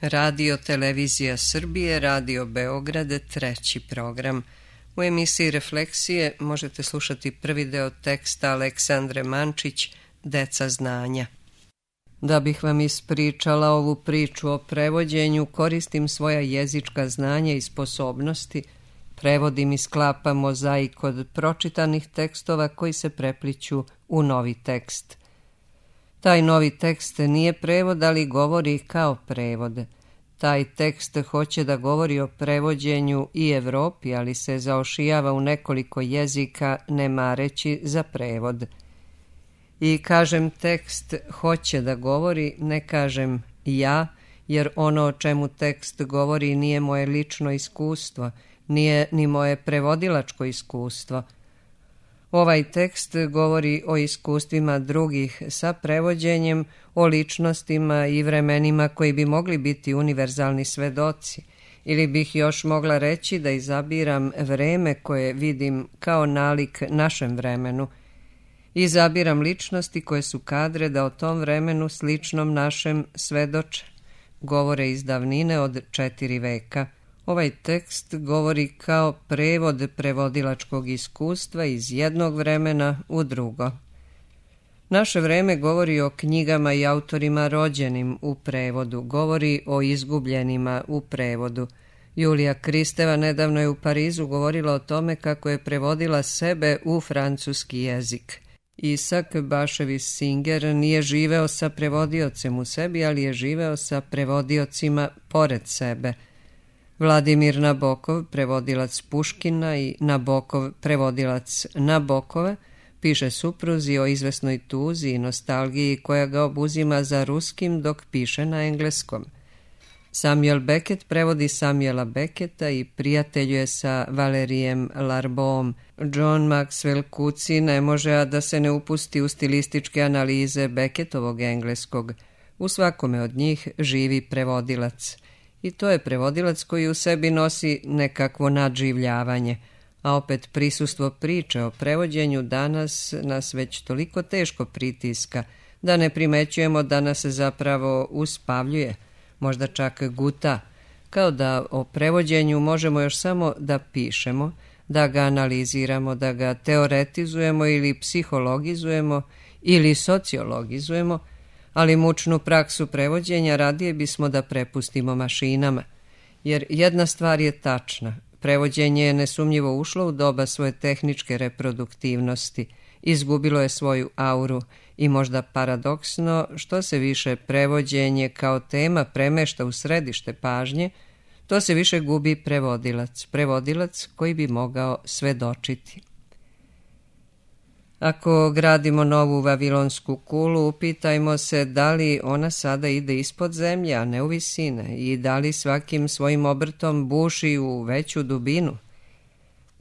Radio Televizija Srbije, Radio Beograd, treći program. U emisiji Refleksije možete slušati prvi deo teksta Aleksandre Mančić, Deca znanja. Da bih vam ispričala ovu priču o prevođenju, koristim svoja jezička znanja i sposobnosti, prevodim i sklapam mozaik od pročitanih tekstova koji se prepliću u novi tekst. Taj novi tekst nije prevod, ali govori kao prevod. Taj tekst hoće da govori o prevođenju i Evropi, ali se zaošijava u nekoliko jezika, ne mareći za prevod. I kažem tekst hoće da govori, ne kažem ja, jer ono o čemu tekst govori nije moje lično iskustvo, nije ni moje prevodilačko iskustvo. Ovaj tekst govori o iskustvima drugih sa prevođenjem, o ličnostima i vremenima koji bi mogli biti univerzalni svedoci, ili bih još mogla reći da izabiram vreme koje vidim kao nalik našem vremenu. Izabiram ličnosti koje su kadre da o tom vremenu sličnom našem svedoče, govore iz davnine od 4 veka. Ovaj tekst govori kao prevod prevodilačkog iskustva iz jednog vremena u drugo. Naše vreme govori o knjigama i autorima rođenim u prevodu, govori o izgubljenima u prevodu. Julija Kristeva nedavno je u Parizu govorila o tome kako je prevodila sebe u francuski jezik. Isak Baševis Singer nije živeo sa prevodiocem u sebi, ali je živeo sa prevodiocima pored sebe. Vladimir Nabokov, prevodilac Puškina, i Nabokov, prevodilac Nabokova, piše supruzi o izvesnoj tuzi i nostalgiji koja ga obuzima za ruskim dok piše na engleskom. Samuel Beckett prevodi Samuela Becketa i prijateljuje sa Valerijem Larboom. John Maxwell Kuci ne može a da se ne upusti u stilističke analize Beckettovog engleskog. U svakome od njih živi prevodilac. I to je prevodilac koji u sebi nosi nekakvo nadživljavanje, a opet prisustvo priče o prevođenju danas nas već toliko teško pritiska da ne primećujemo da nas zapravo uspavljuje, možda čak guta, kao da o prevođenju možemo još samo da pišemo, da ga analiziramo, da ga teoretizujemo ili psihologizujemo ili sociologizujemo, ali mučnu praksu prevođenja radije bismo da prepustimo mašinama, jer jedna stvar je tačna. Prevođenje je nesumnjivo ušlo u doba svoje tehničke reproduktivnosti, izgubilo je svoju auru i možda paradoksno, što se više prevođenje kao tema premešta u središte pažnje, to se više gubi prevodilac koji bi mogao svedočiti. Ako gradimo novu Vavilonsku kulu, upitajmo se da li ona sada ide ispod zemlje, a ne u visine, i da li svakim svojim obrtom buši u veću dubinu.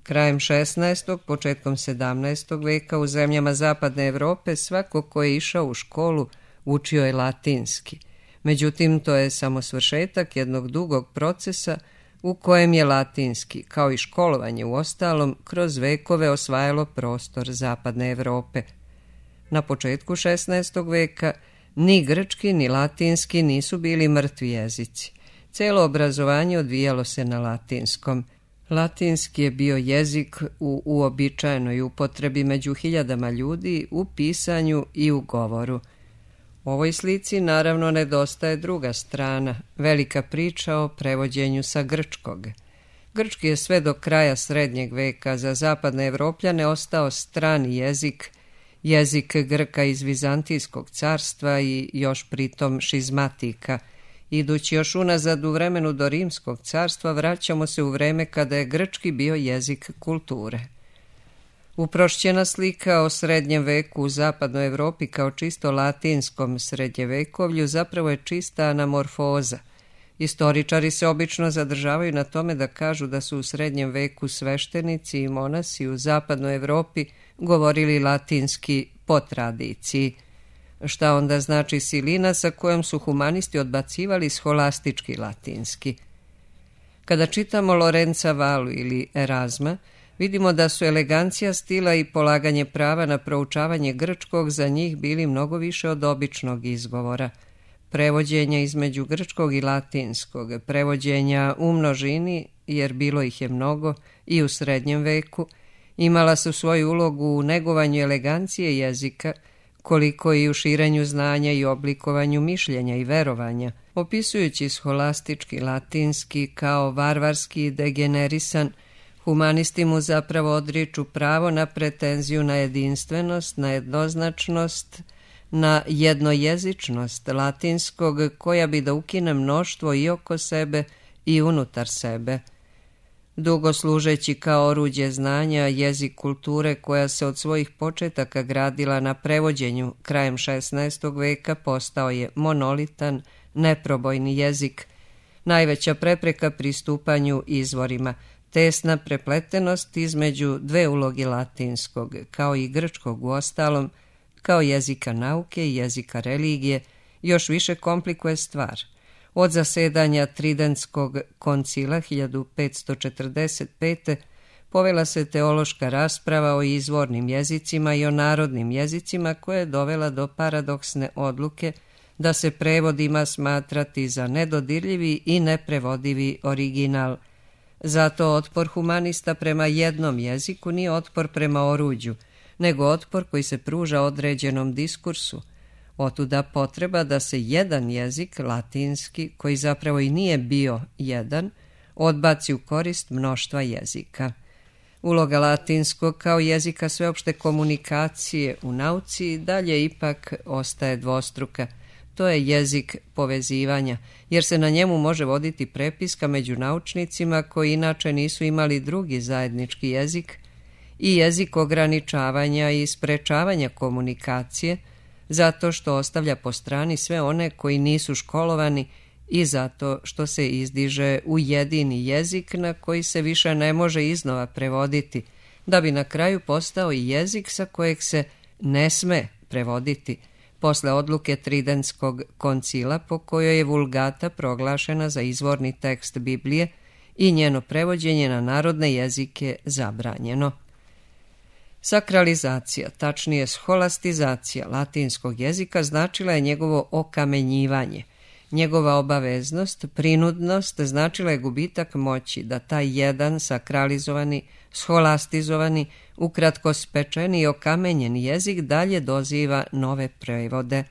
Krajem 16. početkom 17. veka u zemljama zapadne Evrope svako ko je išao u školu učio je latinski. Međutim, to je samo svršetak jednog dugog procesa u kojem je latinski, kao i školovanje u ostalom, kroz vekove osvajalo prostor zapadne Evrope. Na početku 16. veka ni grčki ni latinski nisu bili mrtvi jezici. Celo obrazovanje odvijalo se na latinskom. Latinski je bio jezik u uobičajenoj upotrebi među hiljadama ljudi u pisanju i u govoru. Ovoj slici naravno nedostaje druga strana, velika priča o prevođenju sa grčkog. Grčki je sve do kraja srednjeg veka za zapadne Evropljane ostao strani jezik, jezik Grka iz Vizantijskog carstva i još pritom šizmatika. Idući još unazad u vremenu do Rimskog carstva vraćamo se u vreme kada je grčki bio jezik kulture. Uprošćena slika o srednjem veku u zapadnoj Evropi kao čisto latinskom srednjevekovlju zapravo je čista anamorfoza. Istoričari se obično zadržavaju na tome da kažu da su u srednjem veku sveštenici i monasi u zapadnoj Evropi govorili latinski po tradiciji. Šta onda znači silina sa kojom su humanisti odbacivali scholastički latinski? Kada čitamo Lorenza Valu ili Erazma, vidimo da su elegancija stila i polaganje prava na proučavanje grčkog za njih bili mnogo više od običnog izgovora. prevođenja između grčkog i latinskog, prevođenja u množini, jer bilo ih je mnogo, i u srednjem veku, imala su svoju ulogu u negovanju elegancije jezika, koliko i u širenju znanja i oblikovanju mišljenja i verovanja, opisujući scholastički latinski kao varvarski i degenerisan. Humanisti mu zapravo odriču pravo na pretenziju na jedinstvenost, na jednoznačnost, na jednojezičnost latinskog, koja bi da ukine mnoštvo i oko sebe i unutar sebe. Dugo služeći kao oruđe znanja, jezik kulture koja se od svojih početaka gradila na prevođenju krajem 16. veka postao je monolitan, neprobojni jezik, najveća prepreka pristupanju izvorima, tesna prepletenost između dve uloge latinskog, kao i grčkog uostalom, kao jezika nauke i jezika religije, još više komplikuje stvar. Od zasedanja Tridentskog koncila 1545. povela se teološka rasprava o izvornim jezicima i o narodnim jezicima, koja je dovela do paradoksne odluke da se prevod ima smatrati za nedodirljivi i neprevodivi original. Zato otpor humanista prema jednom jeziku nije otpor prema oruđu, nego otpor koji se pruža određenom diskursu. Otuda potreba da se jedan jezik, latinski, koji zapravo i nije bio jedan, odbaci u korist mnoštva jezika. Uloga latinskog kao jezika sveopšte komunikacije u nauci dalje ipak ostaje dvostruka. To je jezik povezivanja, jer se na njemu može voditi prepiska među naučnicima koji inače nisu imali drugi zajednički jezik, i jezik ograničavanja i sprečavanja komunikacije, zato što ostavlja po strani sve one koji nisu školovani i zato što se izdiže u jedini jezik na koji se više ne može iznova prevoditi, da bi na kraju postao i jezik sa kojeg se ne sme prevoditi, posle odluke Tridentskog koncila po kojoj je Vulgata proglašena za izvorni tekst Biblije i njeno prevođenje na narodne jezike zabranjeno. Sakralizacija, tačnije scholastizacija latinskog jezika značila je njegovo okamenjivanje. Njegova obaveznost, prinudnost značila je gubitak moći da taj jedan sakralizovani, scholastizovani, ukratko spečeni i okamenjeni jezik dalje doziva nove prevode.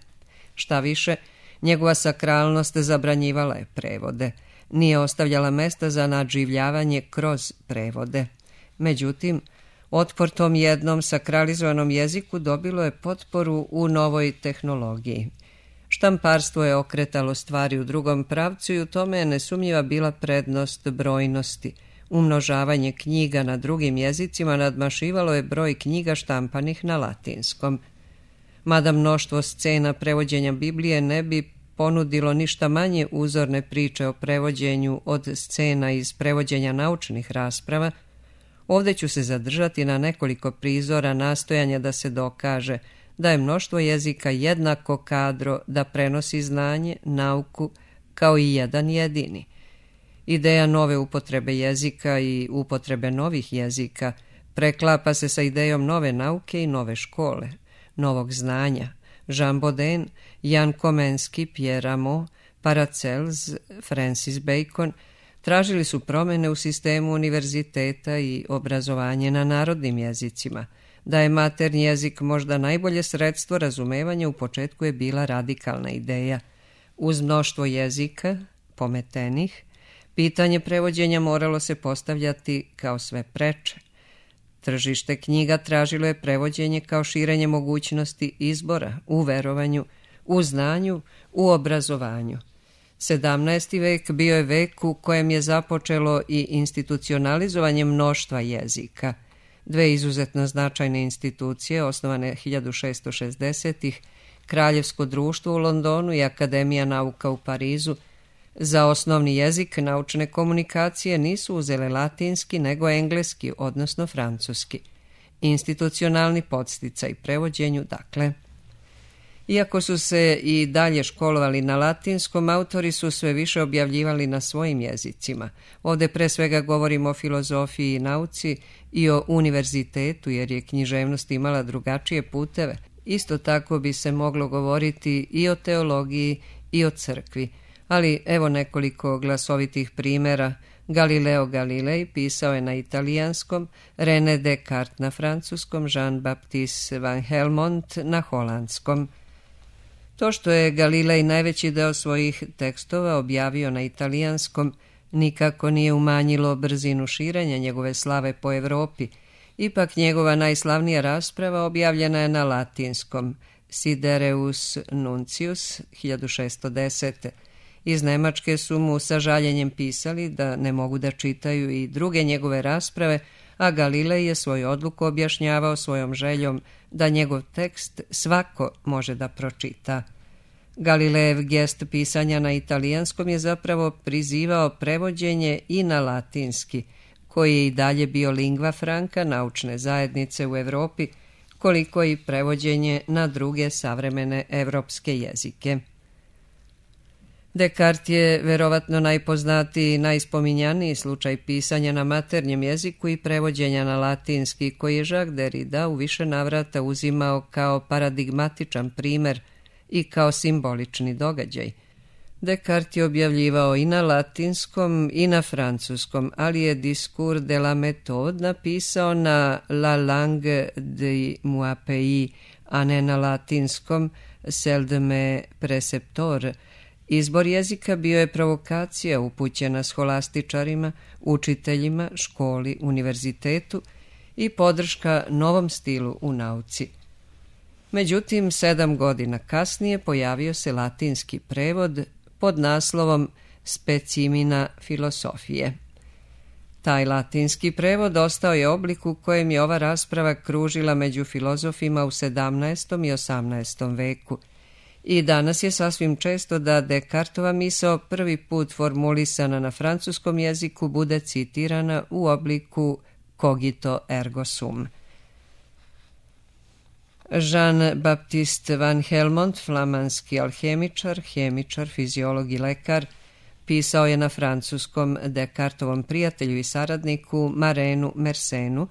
Šta više, njegova sakralnost zabranjivala je prevode, nije ostavljala mesta za nadživljavanje kroz prevode. Međutim, otpor tom jednom sakralizovanom jeziku dobilo je potporu u novoj tehnologiji. Štamparstvo je okretalo stvari u drugom pravcu i u tome je nesumnjiva bila prednost brojnosti. Umnožavanje knjiga na drugim jezicima nadmašivalo je broj knjiga štampanih na latinskom. Mada mnoštvo scena prevođenja Biblije ne bi ponudilo ništa manje uzorne priče o prevođenju od scena iz prevođenja naučnih rasprava, ovdje ću se zadržati na nekoliko prizora nastojanja da se dokaže da je mnoštvo jezika jednako kadro da prenosi znanje, nauku, kao i jedan jedini. Ideja nove upotrebe jezika i upotrebe novih jezika preklapa se sa idejom nove nauke i nove škole, novog znanja. Jean Bodin, Jan Komensky, Pierre Rameau, Paracels, Francis Bacon tražili su promjene u sistemu univerziteta i obrazovanje na narodnim jezicima. Da je maternji jezik možda najbolje sredstvo razumevanja, u početku je bila radikalna ideja. Uz mnoštvo jezika, pometenih, pitanje prevođenja moralo se postavljati kao sve preče. Tržište knjiga tražilo je prevođenje kao širenje mogućnosti izbora u verovanju, u znanju, u obrazovanju. 17. vek bio je vek u kojem je započelo i institucionalizovanje mnoštva jezika. Dve izuzetno značajne institucije, osnovane 1660-ih, Kraljevsko društvo u Londonu i Akademija nauka u Parizu, za osnovni jezik naučne komunikacije nisu uzele latinski nego engleski, odnosno francuski. Institucionalni podsticaj prevođenju, dakle. Iako su se i dalje školovali na latinskom, autori su sve više objavljivali na svojim jezicima. Ovdje pre svega govorimo o filozofiji i nauci i o univerzitetu, jer je književnost imala drugačije puteve. Isto tako bi se moglo govoriti i o teologiji i o crkvi, ali evo nekoliko glasovitih primjera. Galileo Galilei pisao je na italijanskom, René Descartes na francuskom, Jean-Baptiste van Helmont na holandskom. To što je Galilei najveći deo svojih tekstova objavio na italijanskom nikako nije umanjilo brzinu širenja njegove slave po Europi. Ipak njegova najslavnija rasprava objavljena je na latinskom, Sidereus Nuncius 1610. Iz Nemačke su mu sa žaljenjem pisali da ne mogu da čitaju i druge njegove rasprave, a Galilej je svoju odluku objašnjavao svojom željom da njegov tekst svako može da pročita. Galilejev gest pisanja na italijanskom je zapravo prizivao prevođenje i na latinski, koji je i dalje bio lingva franca naučne zajednice u Europi, koliko i prevođenje na druge savremene evropske jezike. Descartes je verovatno najpoznatiji i najspominjaniji slučaj pisanja na maternjem jeziku i prevođenja na latinski, koji je Jacques Derrida u više navrata uzimao kao paradigmatičan primer i kao simbolični događaj. Descartes je objavljivao i na latinskom i na francuskom, ali je Discours de la méthode napisao na La langue de moi pays, a ne na latinskom Celle de mes précepteurs. Izbor jezika bio je provokacija upućena scholastičarima, učiteljima, školi, univerzitetu i podrška novom stilu u nauci. Međutim, 7 godina kasnije pojavio se latinski prevod pod naslovom Specimina filosofije. Taj latinski prevod ostao je oblik u kojem je ova rasprava kružila među filozofima u 17. i 18. veku. I danas je sasvim često da Descartova misao prvi put formulisana na francuskom jeziku bude citirana u obliku cogito ergo sum. Jean-Baptiste van Helmont, flamanski alhemičar, hemičar, fiziolog i lekar, pisao je na francuskom Descartovom prijatelju i saradniku Marenu Mersenu,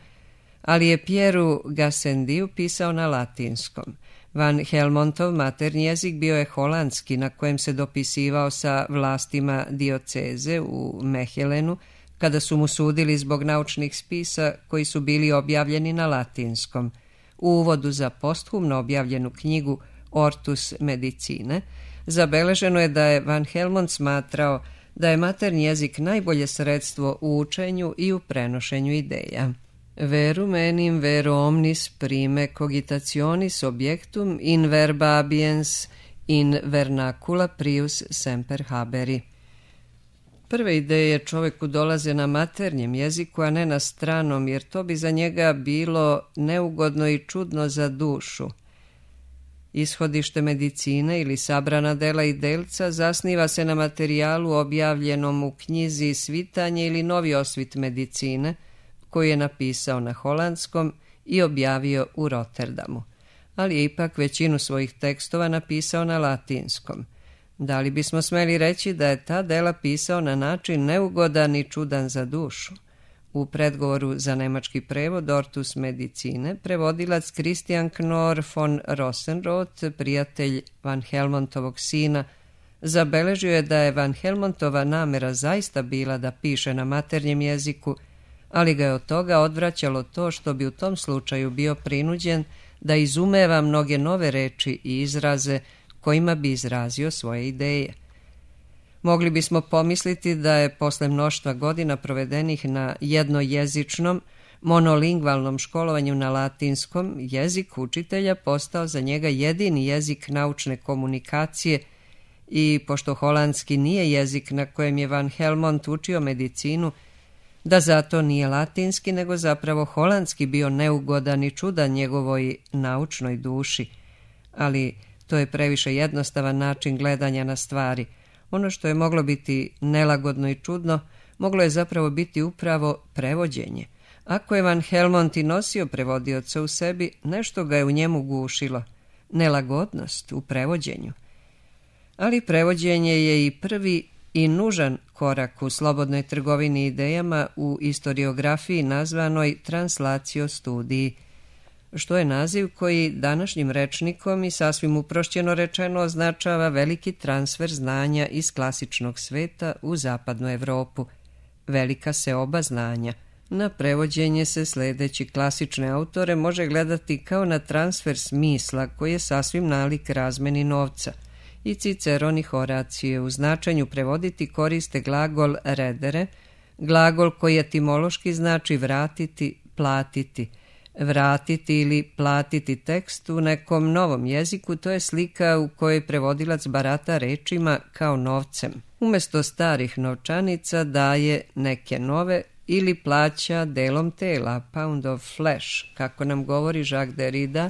ali je Pieru Gassendiju pisao na latinskom. Van Helmontov maternji jezik bio je holandski, na kojem se dopisivao sa vlastima dioceze u Mehelenu, kada su mu sudili zbog naučnih spisa koji su bili objavljeni na latinskom. U uvodu za posthumno objavljenu knjigu Ortus Medicine zabeleženo je da je Van Helmont smatrao da je maternji jezik najbolje sredstvo u učenju i u prenošenju ideja. Verum enim vero omnis prime cogitationis objectum in verba abiens in vernacula prius semper haberi. Prve ideje čoveku dolaze na maternjem jeziku, a ne na stranom, jer to bi za njega bilo neugodno i čudno za dušu. Ishodište medicine ili sabrana dela i delca zasniva se na materijalu objavljenom u knjizi Svitanje ili Novi osvit medicine, koji je napisao na holandskom i objavio u Rotterdamu, ali je ipak većinu svojih tekstova napisao na latinskom. Da li bismo smeli reći da je ta dela pisao na način neugodan i čudan za dušu? U predgovoru za nemački prevod Ortus Medicine prevodilac Christian Knorr von Rosenroth, prijatelj Van Helmontovog sina, zabeležio je da je Van Helmontova namera zaista bila da piše na maternjem jeziku, ali ga je od toga odvraćalo to što bi u tom slučaju bio prinuđen da izumeva mnoge nove reči i izraze kojima bi izrazio svoje ideje. Mogli bismo pomisliti da je posle mnoštva godina provedenih na jednojezičnom, monolingvalnom školovanju na latinskom, jezik učitelja postao za njega jedini jezik naučne komunikacije i, pošto holandski nije jezik na kojem je Van Helmont učio medicinu, da zato nije latinski, nego zapravo holandski bio neugodan i čudan njegovoj naučnoj duši. Ali to je previše jednostavan način gledanja na stvari. Ono što je moglo biti nelagodno i čudno, moglo je zapravo biti upravo prevođenje. Ako je Van Helmont i nosio prevodioca u sebi, nešto ga je u njemu gušilo. Nelagodnost u prevođenju. Ali prevođenje je i prvi i nužan korak u slobodnoj trgovini idejama u istoriografiji nazvanoj translatio studiji. što je naziv koji današnjim rečnikom i sasvim uprošćeno rečeno označava veliki transfer znanja iz klasičnog sveta u zapadnu Evropu. Velika seoba znanja. Na prevođenje se sledeći klasične autore može gledati kao na transfer smisla koji je sasvim nalik razmeni novca. I Ciceron i Horacije u značenju prevoditi koriste glagol redere, glagol koji etimološki znači vratiti, platiti. Vratiti ili platiti tekst u nekom novom jeziku, to je slika u kojoj prevodilac barata rečima kao novcem. Umesto starih novčanica daje neke nove ili plaća delom tela, pound of flesh, kako nam govori Jacques Derrida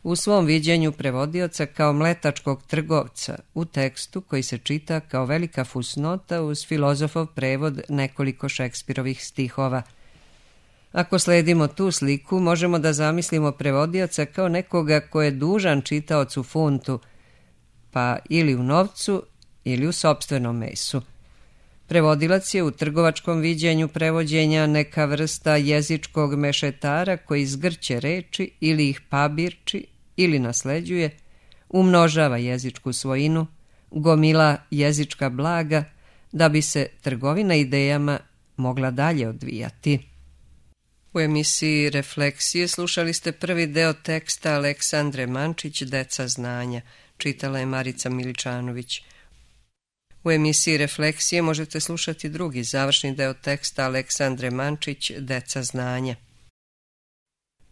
u svom viđenju prevodioca kao mletačkog trgovca u tekstu koji se čita kao velika fusnota uz filozofov prevod nekoliko Šekspirovih stihova. Ako sledimo tu sliku, možemo da zamislimo prevodioca kao nekoga ko je dužan čitaocu funtu, pa ili u novcu ili u sopstvenom mesu. Prevodilac je u trgovačkom viđenju prevođenja neka vrsta jezičkog mešetara koji zgrće reči ili ih pabirči ili nasleđuje, umnožava jezičku svojinu, gomila jezička blaga da bi se trgovina idejama mogla dalje odvijati. U emisiji Refleksije slušali ste prvi deo teksta Aleksandre Mančić, Deca znanja. Čitala je Marica Miličanović. U emisiji Refleksije možete slušati drugi završni deo teksta Aleksandre Mančić, Deca znanja.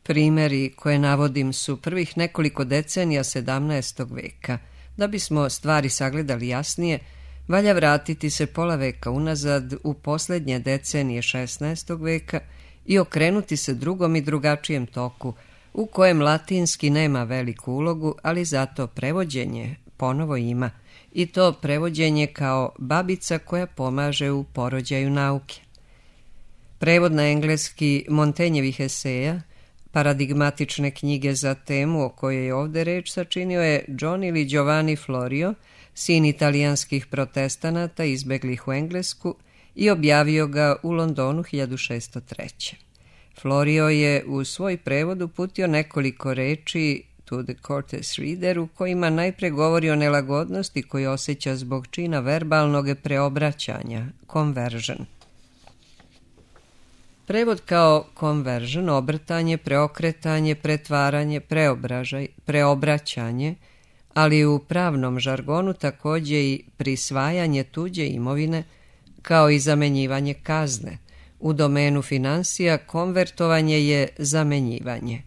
Primeri koje navodim su prvih nekoliko decenija 17. veka. Da bismo stvari sagledali jasnije, valja vratiti se pola veka unazad u posljednje decenije 16. veka i okrenuti se drugom i drugačijem toku, u kojem latinski nema veliku ulogu, ali zato prevođenje ponovo ima, i to prevođenje kao babica koja pomaže u porođaju nauke. Prevod na engleski Montagnjevih eseja, paradigmatične knjige za temu o kojoj je ovde reč, sačinio je John ili Giovanni Florio, sin italijanskih protestanata izbeglih u Englesku, i objavio ga u Londonu 1603. Florio je u svoj prevod uputio nekoliko reči to the courteous reader u kojima najpre govori o nelagodnosti koju osjeća zbog čina verbalnog preobraćanja, conversion. Prevod kao conversion, obrtanje, preokretanje, pretvaranje, preobraćanje, ali u pravnom žargonu također i prisvajanje tuđe imovine, kao i zamenjivanje kazne. U domenu finansija konvertovanje je zamenjivanje.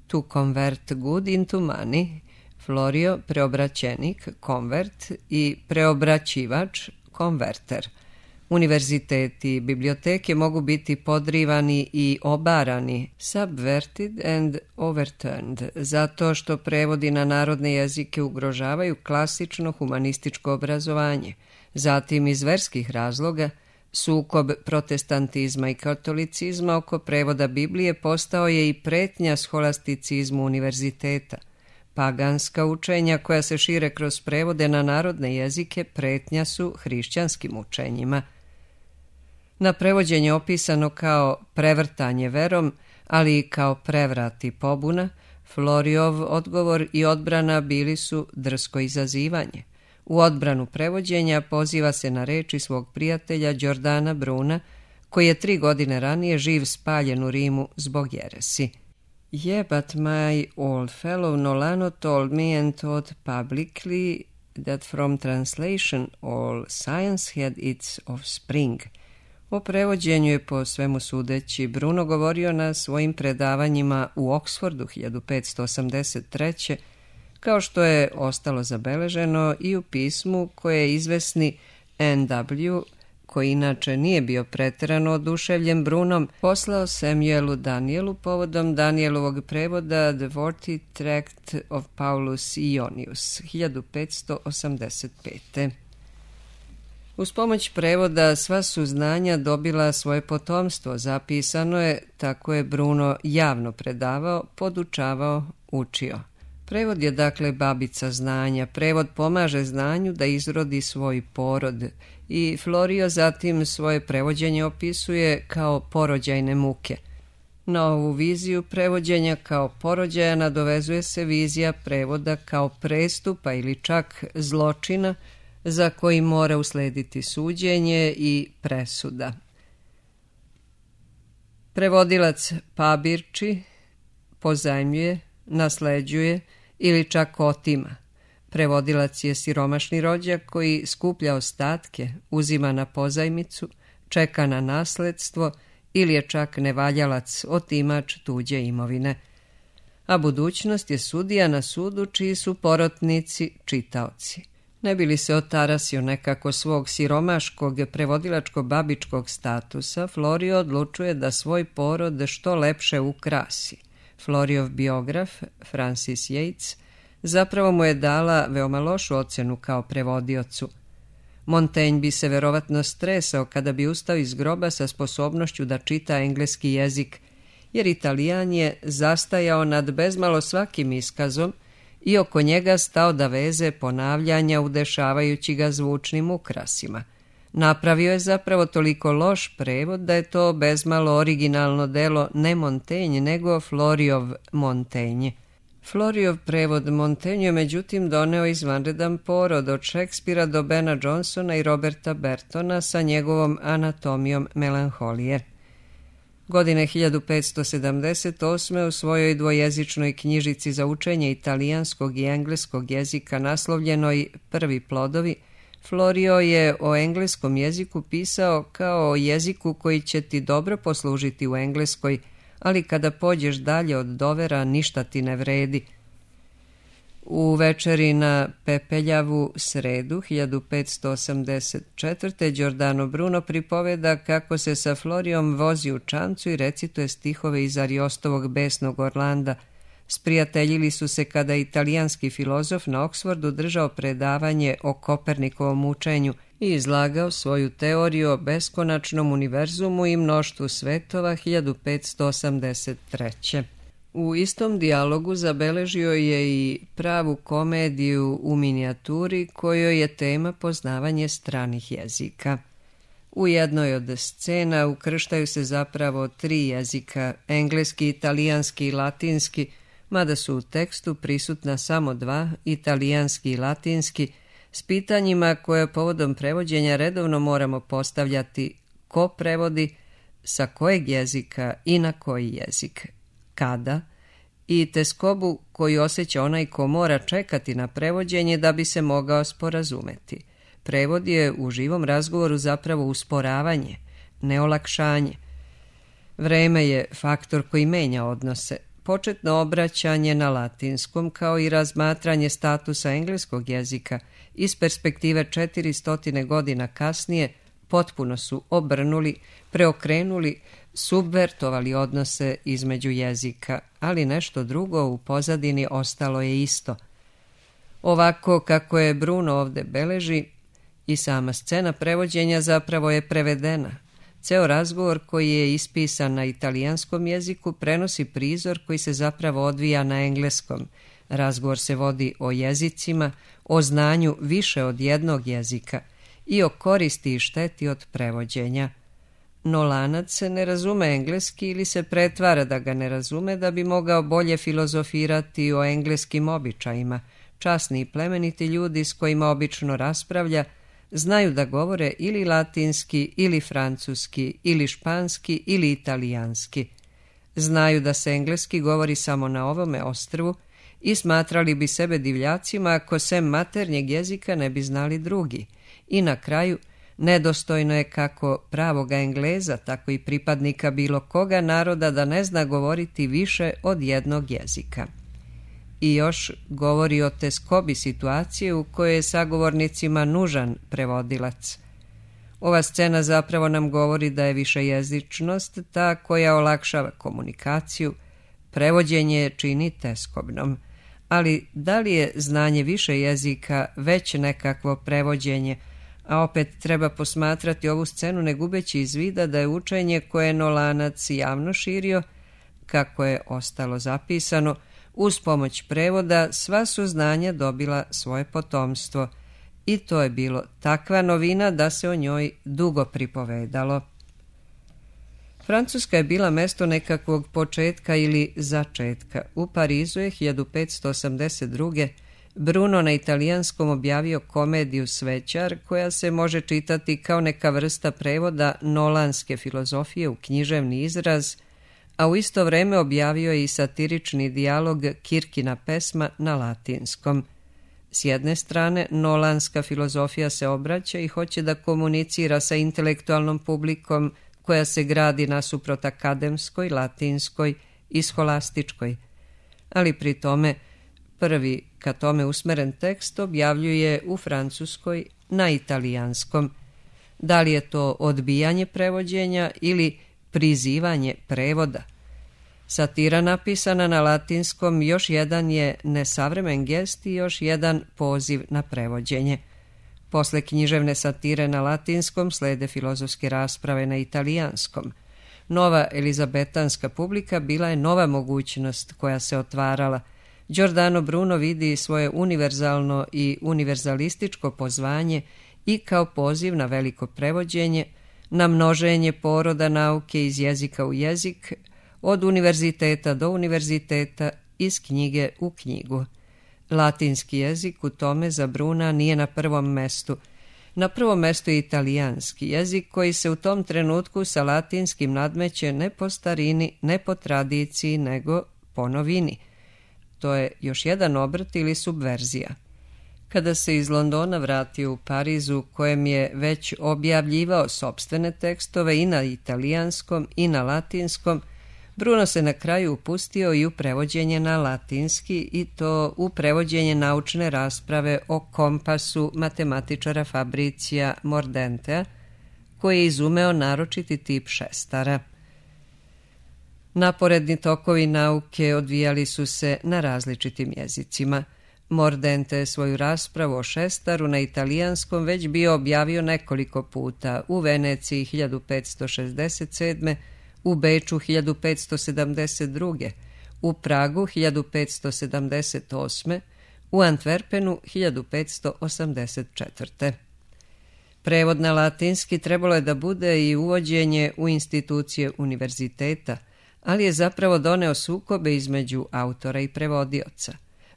To convert good into money, Florio preobraćenik, convert, i preobraćivač, converter. Univerziteti i biblioteke mogu biti podrivani i obarani, subverted and overturned, zato što prevodi na narodne jezike ugrožavaju klasično humanističko obrazovanje. Zatim iz verskih razloga, sukob protestantizma i katolicizma oko prevoda Biblije postao je i pretnja scholasticizmu univerziteta. Paganska učenja koja se šire kroz prevode na narodne jezike pretnja su hrišćanskim učenjima. Na prevođenje opisano kao prevrtanje verom, ali i kao prevrat i pobuna, Florijov odgovor i odbrana bili su drsko izazivanje. U odbranu prevođenja poziva se na reči svog prijatelja Giordana Bruna, koji je 3 godine ranije živ spaljen u Rimu zbog jeresi. Yeah, but my old fellow Nolano told me and taught publicly that from translation all science had its offspring. O prevođenju je po svemu sudeći Bruno govorio na svojim predavanjima u Oksfordu 1583. kao što je ostalo zabeleženo i u pismu koje je izvesni N.W., koji inače nije bio pretjerano oduševljen Brunom, poslao Samuelu Danielu povodom Danielovog prevoda The Worthy Tract of Paulus Ionius 1585. Uz pomoć prevoda sva su znanja dobila svoje potomstvo, zapisano je, tako je Bruno javno predavao, podučavao, učio. Prevod je dakle babica znanja, prevod pomaže znanju da izrodi svoj porod i Florio zatim svoje prevođenje opisuje kao porođajne muke. Na ovu viziju prevođenja kao porođaja nadovezuje se vizija prevoda kao prestupa ili čak zločina za koji mora uslediti suđenje i presuda. Prevodilac pabirči, pozajmljuje, nasleđuje ili čak otima. Prevodilac je siromašni rođak koji skuplja ostatke, uzima na pozajmicu, čeka na nasledstvo ili je čak nevaljalac, otimač tuđe imovine. A budućnost je sudija na sudu čiji su porotnici čitaoci. Ne bi li se otarasio nekako svog siromaškog prevodilačko-babičkog statusa, Florio odlučuje da svoj porod što lepše ukrasi. Floriov biograf, Francis Yates, zapravo mu je dala veoma lošu ocjenu kao prevodiocu. Montaigne bi se verovatno stresao kada bi ustao iz groba sa sposobnošću da čita engleski jezik, jer Italijan je zastajao nad bezmalo svakim iskazom i oko njega stao da veze ponavljanja udešavajući ga zvučnim ukrasima. Napravio je zapravo toliko loš prevod da je to bezmalo originalno delo ne Montaigne, nego Floriov Montaigne. Floriov prevod Montaigne je međutim doneo izvanredan porod od Šekspira do Bena Johnsona i Roberta Bertona sa njegovom anatomijom melanholije. Godine 1578. u svojoj dvojezičnoj knjižici za učenje italijanskog i engleskog jezika naslovljenoj Prvi plodovi, Florio je o engleskom jeziku pisao kao o jeziku koji će ti dobro poslužiti u Engleskoj, ali kada pođeš dalje od dovera ništa ti ne vredi. U večeri na Pepeljavu sredu 1584. Giordano Bruno pripoveda kako se sa Florijom vozi u čamcu i recituje stihove iz Ariostovog besnog Orlanda. Sprijateljili su se kada je italijanski filozof na Oksfordu držao predavanje o Kopernikovom učenju i izlagao svoju teoriju o beskonačnom univerzumu i mnoštvu svetova 1583. U istom dijalogu zabeležio je i pravu komediju u minijaturi kojoj je tema poznavanje stranih jezika. U jednoj od scena ukrštaju se zapravo 3 jezika, engleski, italijanski i latinski, mada su u tekstu prisutna samo 2, italijanski i latinski, s pitanjima koje povodom prevođenja redovno moramo postavljati: ko prevodi, sa kojeg jezika i na koji jezik, kada, i teskobu koju osjeća onaj ko mora čekati na prevođenje da bi se mogao sporazumeti. Prevod je u živom razgovoru zapravo usporavanje, ne olakšanje. Vreme je faktor koji menja odnose. Početno obraćanje na latinskom kao i razmatranje statusa engleskog jezika iz perspektive 400 godina kasnije potpuno su obrnuli, preokrenuli, subvertovali odnose između jezika, ali nešto drugo u pozadini ostalo je isto. Ovako kako je Bruno ovde beleži, i sama scena prevođenja zapravo je prevedena. Ceo razgovor koji je ispisan na italijanskom jeziku prenosi prizor koji se zapravo odvija na engleskom. Razgovor se vodi o jezicima, o znanju više od jednog jezika i o koristi i šteti od prevođenja. No lanac ne razume engleski ili se pretvara da ga ne razume da bi mogao bolje filozofirati o engleskim običajima. Časni i plemeniti ljudi s kojima obično raspravlja znaju da govore ili latinski, ili francuski, ili španski, ili italijanski. Znaju da se engleski govori samo na ovome ostrvu i smatrali bi sebe divljacima ako sem maternjeg jezika ne bi znali drugi. I na kraju, nedostojno je kako pravoga Engleza, tako i pripadnika bilo koga naroda da ne zna govoriti više od jednog jezika. I još govori o teskobi situacije u kojoj je sagovornicima nužan prevodilac. Ova scena zapravo nam govori da je višejezičnost ta koja olakšava komunikaciju, prevođenje čini teskobnom. Ali da li je znanje više jezika već nekakvo prevođenje, a opet treba posmatrati ovu scenu ne gubeći iz vida da je učenje koje je Nolanac javno širio, kako je ostalo zapisano, uz pomoć prevoda sva su znanja dobila svoje potomstvo i to je bilo takva novina da se o njoj dugo pripovedalo. Francuska je bila mesto nekakvog početka ili začetka. U Parizu je 1582. Bruno na italijanskom objavio komediju Svećar, koja se može čitati kao neka vrsta prevoda nolanske filozofije u književni izraz, a u isto vreme objavio je i satirični dijalog Kirkina pesma na latinskom. S jedne strane, nolanska filozofija se obraća i hoće da komunicira sa intelektualnom publikom koja se gradi nasuprot akademskoj, latinskoj i scholastičkoj, ali pri tome prvi ka tome usmeren tekst objavljuje u francuskoj na italijanskom. Da li je to odbijanje prevođenja ili prizivanje prevoda? Satira napisana na latinskom još jedan je nesavremen gest i još jedan poziv na prevođenje. Posle književne satire na latinskom slede filozofske rasprave na italijanskom. Nova elizabetanska publika bila je nova mogućnost koja se otvarala. Giordano Bruno vidi svoje univerzalno i univerzalističko pozvanje i kao poziv na veliko prevođenje, na množenje poroda nauke iz jezika u jezik, od univerziteta do univerziteta, iz knjige u knjigu. Latinski jezik u tome za Bruna nije na prvom mestu. Na prvom mestu je italijanski jezik koji se u tom trenutku sa latinskim nadmeće ne po starini, ne po tradiciji, nego po novini. To je još jedan obrt ili subverzija. Kada se iz Londona vratio u Parizu, kojem je već objavljivao sopstvene tekstove i na italijanskom i na latinskom, Bruno se na kraju upustio i u prevođenje na latinski, i to u prevođenje naučne rasprave o kompasu matematičara Fabricija Mordentea, koji je izumeo naročiti tip šestara. Naporedni tokovi nauke odvijali su se na različitim jezicima. Mordente je svoju raspravu o šestaru na italijanskom već bio objavio nekoliko puta, u Veneciji 1567. u Beču 1572. u Pragu 1578. u Antwerpenu 1584. Prevod na latinski trebalo je da bude i uvođenje u institucije univerziteta, ali je zapravo doneo sukobe između autora i prevodioca.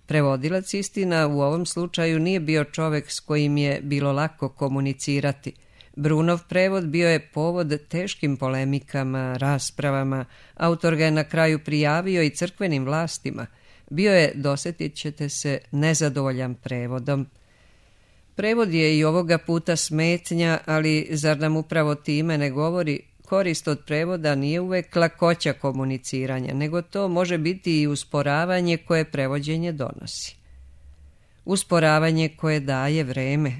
Prevodilac, istina, u ovom slučaju nije bio čovek s kojim je bilo lako komunicirati. Brunov prevod bio je povod teškim polemikama, raspravama, autor ga je na kraju prijavio i crkvenim vlastima. Bio je, dosjetit ćete se, nezadovoljan prevodom. Prevod je i ovoga puta smetnja, ali zar nam upravo time ne govori korist od prevoda nije uvek lakoća komuniciranja, nego to može biti i usporavanje koje prevođenje donosi. Usporavanje koje daje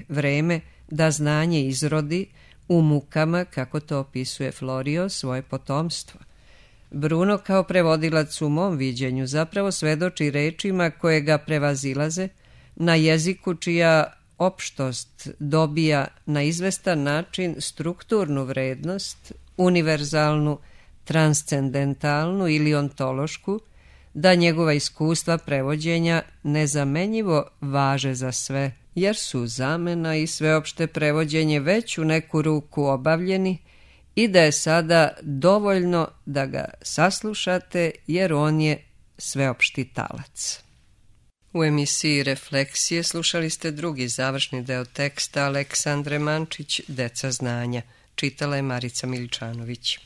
vreme da znanje izrodi u mukama, kako to opisuje Florio, svoje potomstvo. Bruno kao prevodilac u mom viđenju zapravo svedoči rečima koje ga prevazilaze, na jeziku čija opštost dobija na izvestan način strukturnu vrednost, univerzalnu, transcendentalnu ili ontološku, da njegova iskustva prevođenja nezamenjivo važe za sve, jer su zamena i sveopšte prevođenje već u neku ruku obavljeni i da je sada dovoljno da ga saslušate, jer on je sveopšti talac. U emisiji Refleksije slušali ste drugi završni deo teksta Aleksandre Mančić, Deca znanja. Čitala je Marica Miličanović.